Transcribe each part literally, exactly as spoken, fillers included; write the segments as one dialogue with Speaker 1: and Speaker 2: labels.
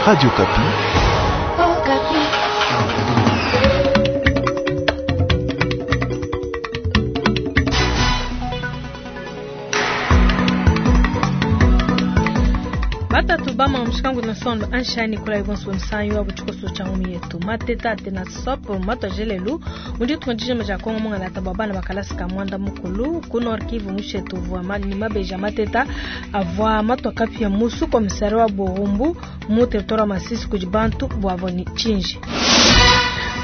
Speaker 1: Radio Okapi.
Speaker 2: Batatu bama mushikangu na sondo anshani kula ibonso msanyu wa buchikoso cha ngumi yetu mateta tena sopo mato jelelu mundi tunjije maja kongo mungala tababana bakalasi ka mwanda mukulu ku Nord Kivu mushetu vwa mali mabeja mateta avwa mato kapia musu komisari wa Burumbu mu territoire Masisi kujibantu bwavoni chinji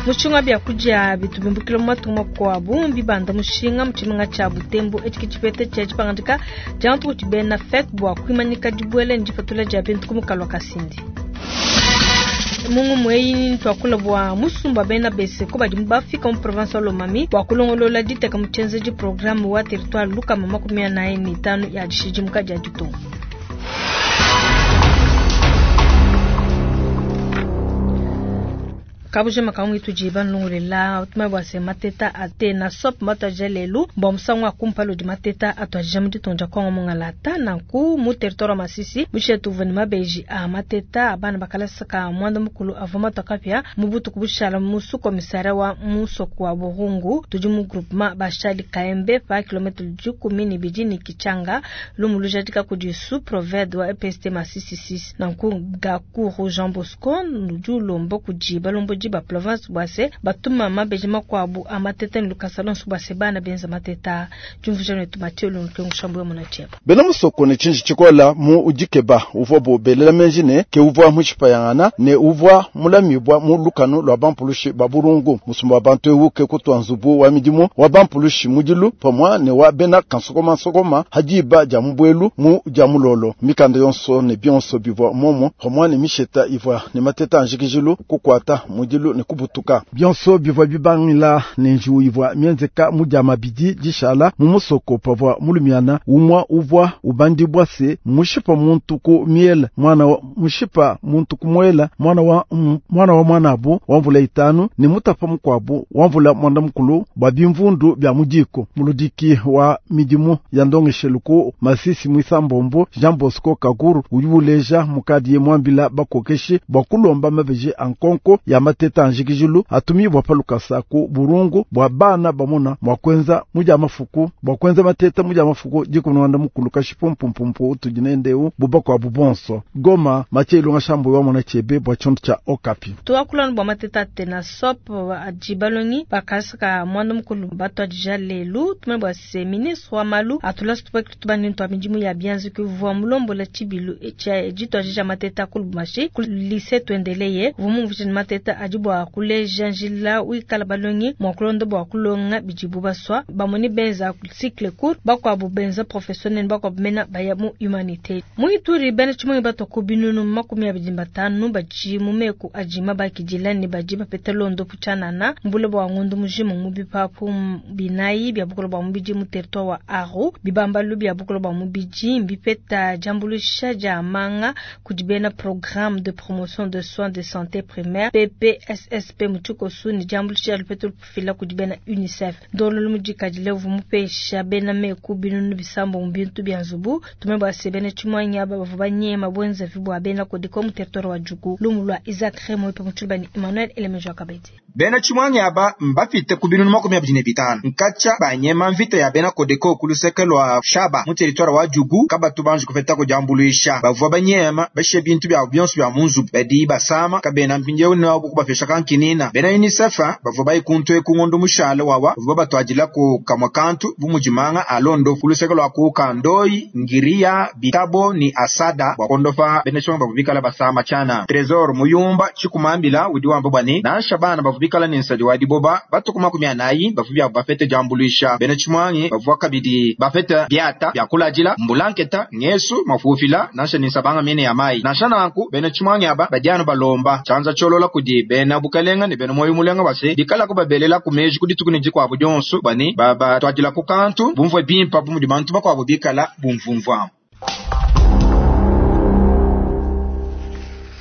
Speaker 2: mushinga bya kuja bitubimbukilo matumwa kwa bumbi banda mushinga muchiminga cha butembo echikipete cha chipangandika jantu kuchibena fek bwa kwimanyika dibwele ndipatula ja bintu kumukalwa kasindi mungu mweyi twakula bwa musumba bena bese ko badi bafika mu province wa Lomami bwa kulongolola diteka muchenzeji programme wa territoire luka mama kumia na ni tano ya dishijimuka ja ditongo. Kabuje makangu itujiba nlungulela utuma bwa se mateta ate na sop mata jelelu bwa musangu akumpalo di mateta atwa jamu ditonja kongo mungalata nanku mu territoire Masisi mushetu vani mabeji a mateta abana bakalasa ka mwanda mukulu avoma tokapya mubutu kubushala musu komisara wa musoko wa Burungu tudi mu groupement bashali Kaembe pa kilometre dikumi ni bidini kichanga lumulu jadika kudi sous proved wa E P S T Masisi six nanku Gakuru Jean Bosco ndu lombo kudi balombo ba province bwase batuma mabeji makwabu amateta ni lukasa lonso bwase bana benza mateta jumvujano etu Mathieu Lunkengu shambu ya munacheba
Speaker 3: bena musoko ne chinji chikola mu ujikeba uvwa bo belela menjine ke uvwa muchipayangana ne uvwa mulamibwa mu lukano lwa bampulushi ba burungu musumba wa bantu ewuke kutwa nzubu wa midimu wa bampulushi mudilu pamwa ne wa bena kansokoma sokoma hadiba ja mubwelu mu ja mulolo mikanda yonso ne bionso bivwa momo pamwa ne misheta ivwa ne mateta anjikijilu kukwata mudilu ne kubutuka bionso bivwa bibangila ne njiwu ivwa mienzeka mudia mabidi dishala mu musoko pavwa mulumiana umwa uvwa ubandibwa se mushipa muntu ku miela mwana wa mushipa muntu ku mwela mwana wa mwana wa mwanabu wa mvula itanu ne mutapa mukwabu wa mvula mwanda mukulu bwa bimvundu bya mudiko muludiki wa midimu ya ndongesheluku Masisi mwisambombo Jean Bosco Kakuru ulibuleja mukadi mwambila bakokeshi bwa kulomba mabeji ankonko ya mateta anjikijilu atumibwa palukasa ku burungu bwa bana bamona mwa kwenza muja mafuku bwa kwenza mateta muja mafuku jikunwanda mukulu kashipumpumpu tujinendeu buba kwa bubonso Goma Mathieu Ilunga shambu wa mwana chebe bwa chonto cha Okapi
Speaker 2: tuwakulana bwa mateta tena sop ajibalongi bakasaka mwanda mukulu bato adija lelu tumene bwa se ministre wa malu atula situpa kitubani ntwa midimu ya bianzi kuvua mulombo la chibilu cha jito ajija mateta kulubumashi ku lycée tuendeleye vumu vujini mateta ajibwa kuleja njila wikala balongi mwakulondo bwa kulonga bijibu baswa bamoni benza cycle court bakwabu benza professionnel bakwabu mena baya mu humanité muituri bene chimongi batoko binunu makumi abidi batanu baji mumeku ajima bakijilani baji bapete londo puchanana mbule bwa ngundu mujimu mubipapu binayi bya bukolo bwa mubiji mu territoire wa Aru bibambalu bya bukolo bwa mubiji mbipeta jambulusha ja manga kujibena programme de promotion de soins de santé primaire P P S S P mutukosu ni jambulusha lupetu fila kujibena UNICEF ndolo lumujikajile vumupesha bena meku binunu bisambo mbintu bya nzubu tumebwa sebene chimwanya bavu banyema bwenza vibwa bena kodiko mu territoire wa Djugu lumulwa Isaac Remo pe mutulbani Emmanuel Elemejo Kabedi
Speaker 4: bena chimwanya aba mbafite ku binunu makumi abiri ne bitanu nkacha banyema mvita ya bena kodeko kuluseke lwa Shaba mu territoire wa Djugu kabatu banji kufeta kujambuluisha bavua banyema bashe bintu bya byonso bya munzu badi basama kabena mpinjewu ne wabo kubafesha kankinina bena UNICEF bavua bayikuntu ekungondo mushale wawa bavua batwajila ku kamwa kantu bumujimanga alondo kuluseke lwa ku kandoi ngiria bitabo ni asada bwakondofa bena chimwanya bavubikala basama chana Tresor muyumba chikumambila udi wamba bwani nansha bana bavubikala ni nsadi wa diboba batuku makumi anayi bavubya bafete jambuluisha bena chimwanyi bavua kabidi bafete biata byakulajila mbulanketa ngesu mafufila nansha ni nsabanga mene ya mai nansha nanku bena chimwanyi aba badiano balomba chanza cholola kudi bena bukalenga ne bena moyo mulenga base bikala kubabelela kumeji kudituku ne dikwabu dyonso bani baba twajila ku kantu bumvwe bimpa bumudi bantu bakwabo bikala bumvumvwa.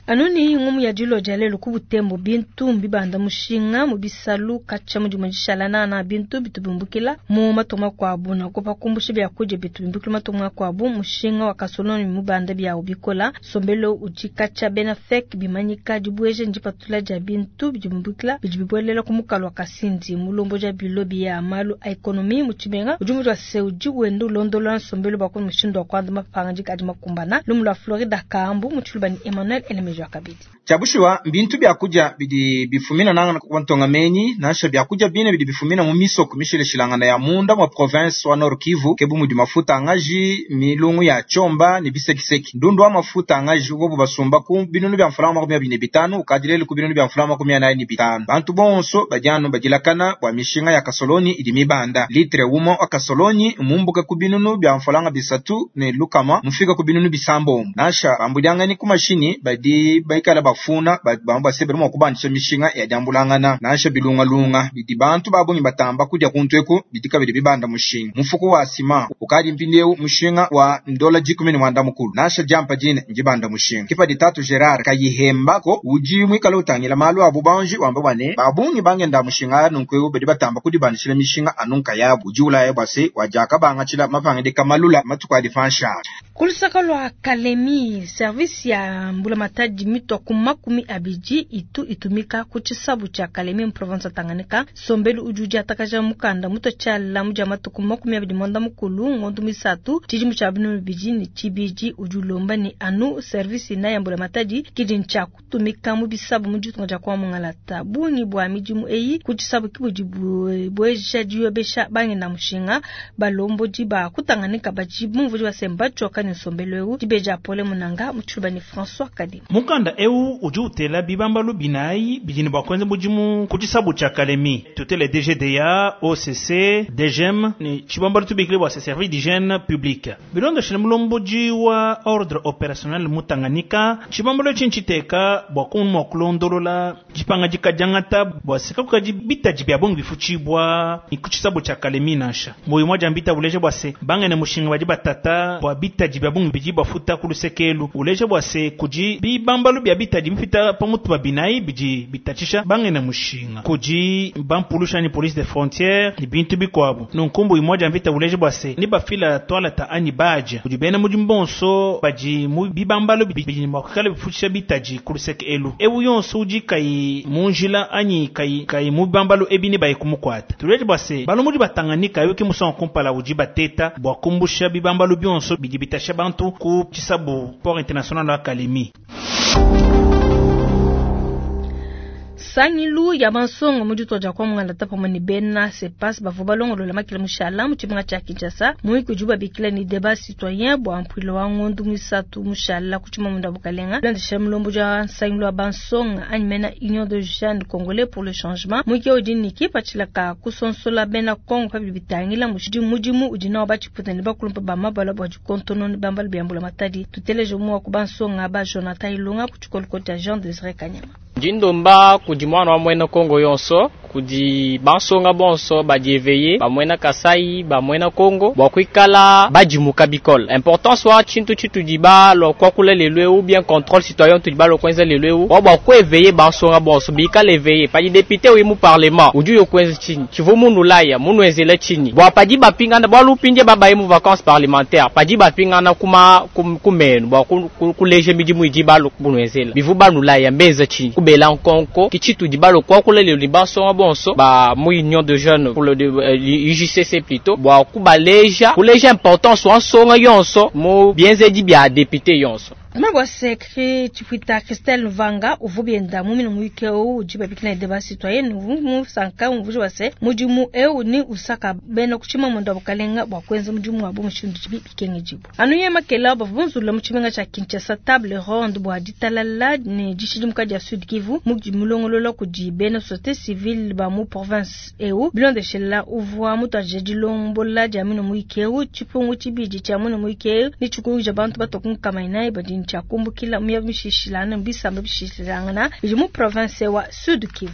Speaker 2: Anuni ngumu ya dilo dia lelu ku Butembo bintu mbibanda mushinga mu bisalu katshia mudimu dishala na bintu bitubimbukila mu matunga kwabu na kupa kumbusha bya kuja bitubimbukila matunga kwabu mushinga wa kasoloni mubanda bya ubikola sombelo udi katshia bena fek bimanyika dibweje ndipatula dia bintu bidibimbukila bidibwelela ku mukalo wa Kasindi mulombo dia bilo bya malu a ekonomi mu tshimenga udi mutu wa se udi wenda ulondola nsombelo bwa ku mushindu wa kwanda mapanga dikadi makumbana lumu lwa Florida Kambu mu tshilubani Emmanuel Elemejo akabidi
Speaker 4: Chabushiwa mbintu bya kuja bidi bifumina nanga kwantonga menyi nasha bya kuja bine bidi bifumina mu misoko mishileshilangana ya munda mwa province wa Nord Kivu kebu mudi mafuta angaji milungu ya chomba ni bisekiseki ndundu wa mafuta angaji ubo basumba ku binunu bya mfulama makumi abiri ne bitanu ukadilele ku binunu bya mfulama makumi anayi ne bitanu bantu bonso bajano bajilakana bwa mishinga ya kasoloni idi mibanda litre umo wa kasoloni mumbuka ku binunu bya mfulanga bisatu ne lukama mufika ku binunu bisambombo nasha bambudyangani ku mashini badi baikala bafuna bamba sebere mwa kubanisha mishinga ya jambulangana nasha bilunga lunga bidi bantu babungi batamba kudya kuntweku bidika bidi bibanda mushinga mufuko wa sima ukadi mpindeu mushinga wa ndola jikumi ni mwanda mukulu nasha jampa jine njibanda mushinga kipa ditatu Gerard kayihembako uji mwikala utangila malu abu banji wamba bwane babungi bangenda mushinga nunkweu bidi batamba kudibanishila mishinga anunka yabu uji ulaya bwase wajaka bangachila mapangide kamalula matuku adifansha
Speaker 2: kulusaka lwa Kalemi service ya mbula matadi mitwa kumakumi abiji itu itumika kuchisabu cha Kalemi mu province Tanganyika sombelu ujuja atakaja mukanda muto chala muja matuku makumi abidi mwanda mukulu ngondu misatu chijimu cha binu biji ni chibiji ujulomba ni anu service na ya mbula matadi kidi ncha kutumika mu bisabu mujitu nja kwa mungalata bungi bwa mijimu eyi kuchisabu kibuji bweja jiyobesha bangi na mushinga balombo jiba kutanganika bajibu mvuji wa semba choka ni sombelu eu jibeja pole munanga muchuba ni François Kadima
Speaker 1: mukanda eu udi utela bibambalu binayi bidini bua kuenza mudimu ku tshisabu tshia Kalemi tutele D G D A O C C D G M ni tshibambalu tubikile bua se service d'hygiène publique bilondoshile mulomboji wa ordre opérationnel mu Tanganyika tshibambalu etshi ntshiteka bua kumua kulondolola dipanga dikadiangata bua seka kukadi bitadi bia bongi bifutshibua ni ku tshisabu tshia Kalemi nansha moyo mwa jambita buleje bua se bangene mushinga badi batata bua bitadi bia bongi bidi bafuta ku lusekelu uleje bua se kudi bibambalu bia bitadi bifita pamutu ba binayi bidi bitatshisha bangene mushinga kudi bampulusha ni police de frontière ni bintu bikuabu nunkumbu imwaja mvita uleje bua se ni bafila toaleta ani baja kudi bena mudimu bonso badi mu bibambalu bidi mua kuikala bifutshisha bitadi ku luseke elu ewu yonso udi kayi munjila anyi kayi kayi mu bibambalu ebi ne bayi kumukwata tuleje bua se balomudi batanganyika yoki musonga kumpala udi bateta bua kumbusha bibambalu bionso bidi bitasha bantu ku tshisabu port international wa Kalemi.
Speaker 2: Sangilu ya bansonga mu ditoja kwa mungala tapa mani bena sepas bavua balongolola makila mushala mu tshimenga tshia Kinshasa muiki udi babikila ni débat citoyen bua mpuilo wa ngondu misatu mushala ku tshimamunda bukalenga landisha mulombo ja sangilu wa bansonga anyi mena Union de Jeunes Congolais pour le changement muiki udi niki patshilaka kusonsola bena Congo pa bitangila mushidi mudimu udi nawo batshiputa ne bakulumpa ba mabala bua dikontono ne bambala biambula matadi tuteleje mu wa ku bansonga ba Jonathan Ilunga ku tshikoloko tshia Jean Désiré Kanyama
Speaker 5: Jindomba kudi mwana wa mwena Kongo yonso kudi bansonga bonso badieveye bamwena Kasai bamwena Kongo bwa kuikala badimuka bikole importance wa tshintu tshitudi balwa kwakula lelu eu bien contrôle citoyen tudi balwa kwenza lelu eu wa bwa kueveye bansonga bonso bikala eveye padi député wi mu parlement udi yo kwenza tshinyi tshivu munu laya munu enzela tshinyi bwa padi bapingana bwa lupindie babaye mu vacances parlementaires padi bapingana kuma kumenu bwa kuleje midimu idi balwa bunu enzela bivu banu laya mbeza tshinyi kubela nkonko kichitu di balo kwakula lelu bansonga bonso ba mu union de jeunes pour le U J C C plutôt bwa kubaleja kuleja importance wa nsonga yonso mu bienzedi bya député yonso
Speaker 2: Mabwa sekre chifuita Christelle Vanga uvubienda mumina muike o ujiba bikina débat citoyen mu sanka umvuji wase mudimu eu ni usaka bena kuchima mwenda bukalenga bwa kwenza mudimu wa bumushindu chibi bikenge jibu anuye makela bavunzula mu tshimenga tsha Kinshasa table ronde bwa ditalala ne dishidimuka dia Sud Kivu mudi mulongolola kudi bena société civile ba mu province eu bilondeshela uvwa mutwaje dilombola dia mino muike eu chipungu chibidi cha muno muike eu ni chikuja bantu batokunkamaina ibadi chakumbukila mya mishishilana mbisamba bishishilangana mu province wa Sud Kivu.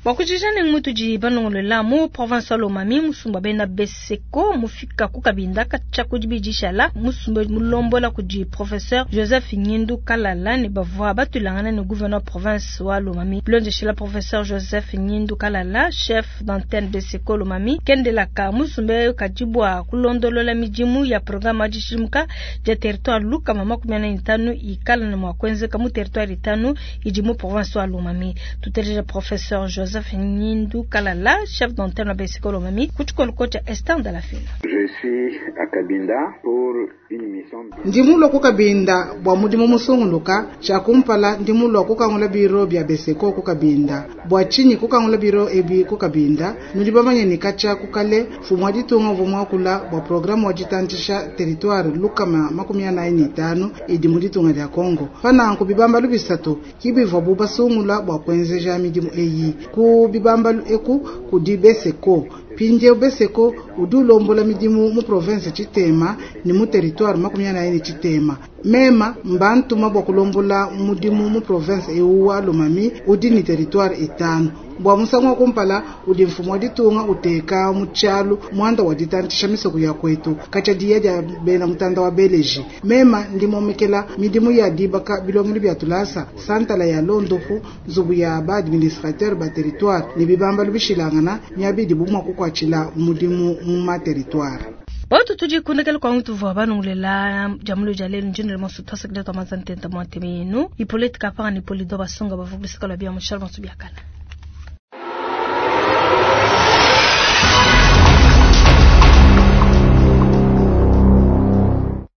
Speaker 2: Bua kujija ne mutudi banongolola mu province wa Lomami musumba bena Beseko mufika ku Kabinda katshia ku dibidi shala musumba mulombola kudi professeur Joseph Nyindu Kalala ne bavua batulangana ne gouverneur province wa Lomami. Bilondeshela professeur Joseph Nyindu Kalala chef d'antenne Beseko Lomami kendelaka musumba kadibwa kulondolola midimu ya programme adishimuka dia territoire luka mama makumi anayi n'itanu ikala na mua kuenzeka mu territoire itanu idi mu province wa Lomami. Tuteleja professeur Joseph Nyindu Kalala chef d'antenne wa Beseko Lomami ku tshikolo tshia Esther Ndalafina.
Speaker 6: Je suis à Kabinda pour une mission.
Speaker 7: Ndimulwa ku Kabinda bua mudimu musunguluka tshiakumpala ndimulwa kukangula biro bya Beseko ku Kabinda bua tshinyi kukangula biro ebi ku Kabinda nudi bamanye ne katshia kukale mfumu wa ditunga uvua muakula bua programme wa ditantshisha territoire lukama makumi anayi ne itanu idi mu ditunga dia Congo pananku bibambalu bisatu kibivuabu basungula bua kuenzeja midimu eyi ku bibambalu eku kudi Beseko mpindieu Beseko udi ulombola midimu mu province tshitema ne mu territoire makumi anayi ne tshitema mema mbantuma bua kulombola mudimu mu province ewu wa Lomami udi ne territoire itanu bua musangu wa kumpala udi mfumu wa ditunga uteka mu tshialu muanda wa ditantshisha misoko ya kwetu katshia diya dia bena mutanda wa beleji mema ndimomekela midimu ya dibaka bilongelo bya tulasa santala ya londopu nzubu ya ba administrateur ba territoire ne bibambalu bishilangana miabidi bumwa kukwatshila mudimu mu ma territoire.
Speaker 2: Batu tudi kundekela kwa mtu vwa banungulela jamulo jalelu njinele mosu twasakida twa mazantenta mwateme yenu Hippolyte Kapara ni Polido Basonga bavubulisika lwa bia mushal mosu biakala.